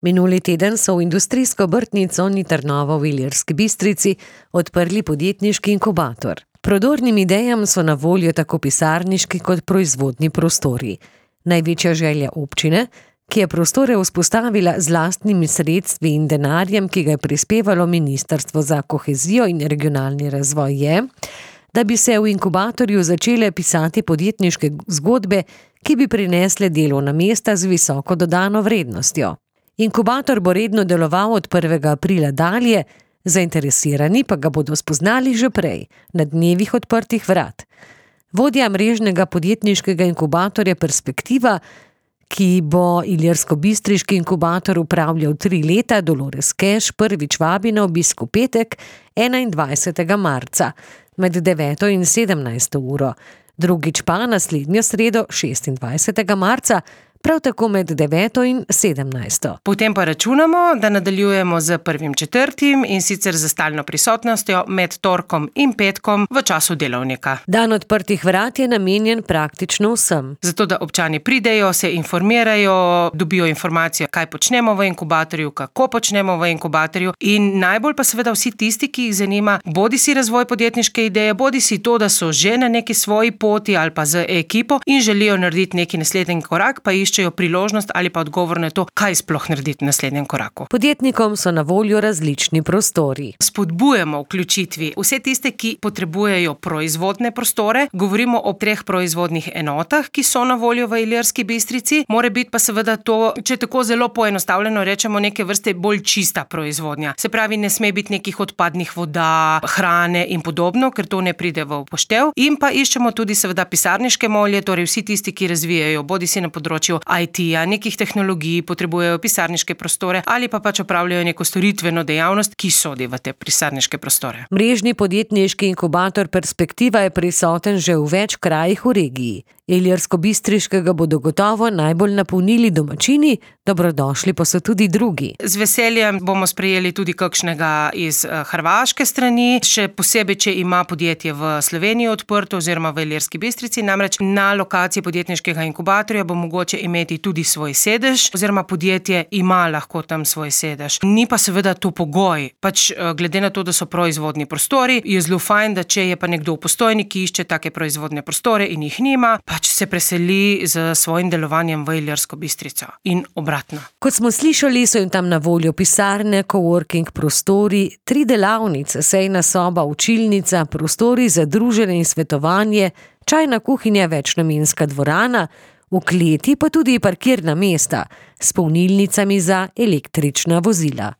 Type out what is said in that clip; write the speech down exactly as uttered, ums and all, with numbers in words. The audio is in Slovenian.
Minuli teden so v industrijsko obrtnico Trnovo v Ilirski Bistrici odprli podjetniški inkubator. Prodornim idejam so na voljo tako pisarniški kot proizvodni prostori. Največja želja občine, ki je prostore vzpostavila z lastnimi sredstvi in denarjem, ki ga je prispevalo Ministrstvo za kohezijo in regionalni razvoj, je, da bi se v inkubatorju začele pisati podjetniške zgodbe, ki bi prinesle delovna mesta z visoko dodano vrednostjo. Inkubator bo redno deloval od prvega aprila dalje, zainteresirani pa ga bodo spoznali že prej, na dnevih odprtih vrat. Vodja mrežnega podjetniškega inkubatorja Perspektiva, ki bo ilirsko-bistriški inkubator upravljal tri leta, Dolores Keš, prvič vabi na obisk v petek, enaindvajsetega marca, med deveto in sedemnajsto uro. Drugič pa naslednjo sredo, šestindvajsetega marca, prav tako med deveto in sedemnajsto. Potem pa računamo, da nadaljujemo z prvim četrtim in sicer za stalno prisotnostjo med torkom in petkom v času delovnika. Dan odprtih vrat je namenjen praktično vsem. Zato, da občani pridejo, se informirajo, dobijo informacijo, kaj počnemo v inkubatorju, kako počnemo v inkubatorju in najbolj pa seveda vsi tisti, ki jih zanima, bodi si razvoj podjetniške ideje, bodi si to, da so že na neki svoji poti ali pa z ekipo in želijo narediti neki naslednji korak, pa iščejo priložnost ali pa odgovor na to, kaj sploh narediti v naslednjem koraku. Podjetnikom so na voljo različni prostori. Spodbujamo vključitvi vse tiste, ki potrebujejo proizvodne prostore. Govorimo o treh proizvodnih enotah, ki so na voljo v Ilirski Bistrici. More biti pa seveda to, če tako zelo poenostavljeno rečemo, neke vrste bolj čista proizvodnja. Se pravi, ne sme biti nekih odpadnih voda, hrane in podobno, ker to ne pride v upoštev. In pa iščemo tudi seveda pisarniške molje, torej vsi tisti, ki razvijajo, bodi si na področju I T-ja, nekih tehnologij, potrebujejo pisarniške prostore ali pa pač opravljajo neko storitveno dejavnost, ki sodi v te pisarniške prostore. Mrežni podjetniški inkubator Perspektiva je prisoten že v več krajih v regiji. Ilirsko-bistriškega bodo gotovo najbolj napolnili domačini, dobrodošli pa so tudi drugi. Z veseljem bomo sprejeli tudi kakšnega iz hrvaške strani, še posebej, če ima podjetje v Sloveniji odprto oziroma v Ilirski Bistrici, namreč na lokaciji podjetniškega inkubatorja bo mogoče imeti tudi svoj sedež, oziroma podjetje ima lahko tam svoj sedež. Ni pa seveda to pogoj, pač glede na to, da so proizvodni prostori, je zelo fajn, da če je pa nekdo v Postojni, ki išče take proizvodne prostore in jih nima, pač se preseli z svojim delovanjem v Ilirsko Bistrico in obratno. Kot smo slišali, so jim tam na voljo pisarne, coworking prostori, tri delavnice, sejna soba, učilnica, prostori za druženje in svetovanje, čajna kuhinja, večnamenska dvorana, v kleti pa tudi parkirna mesta s polnilnicami za električna vozila.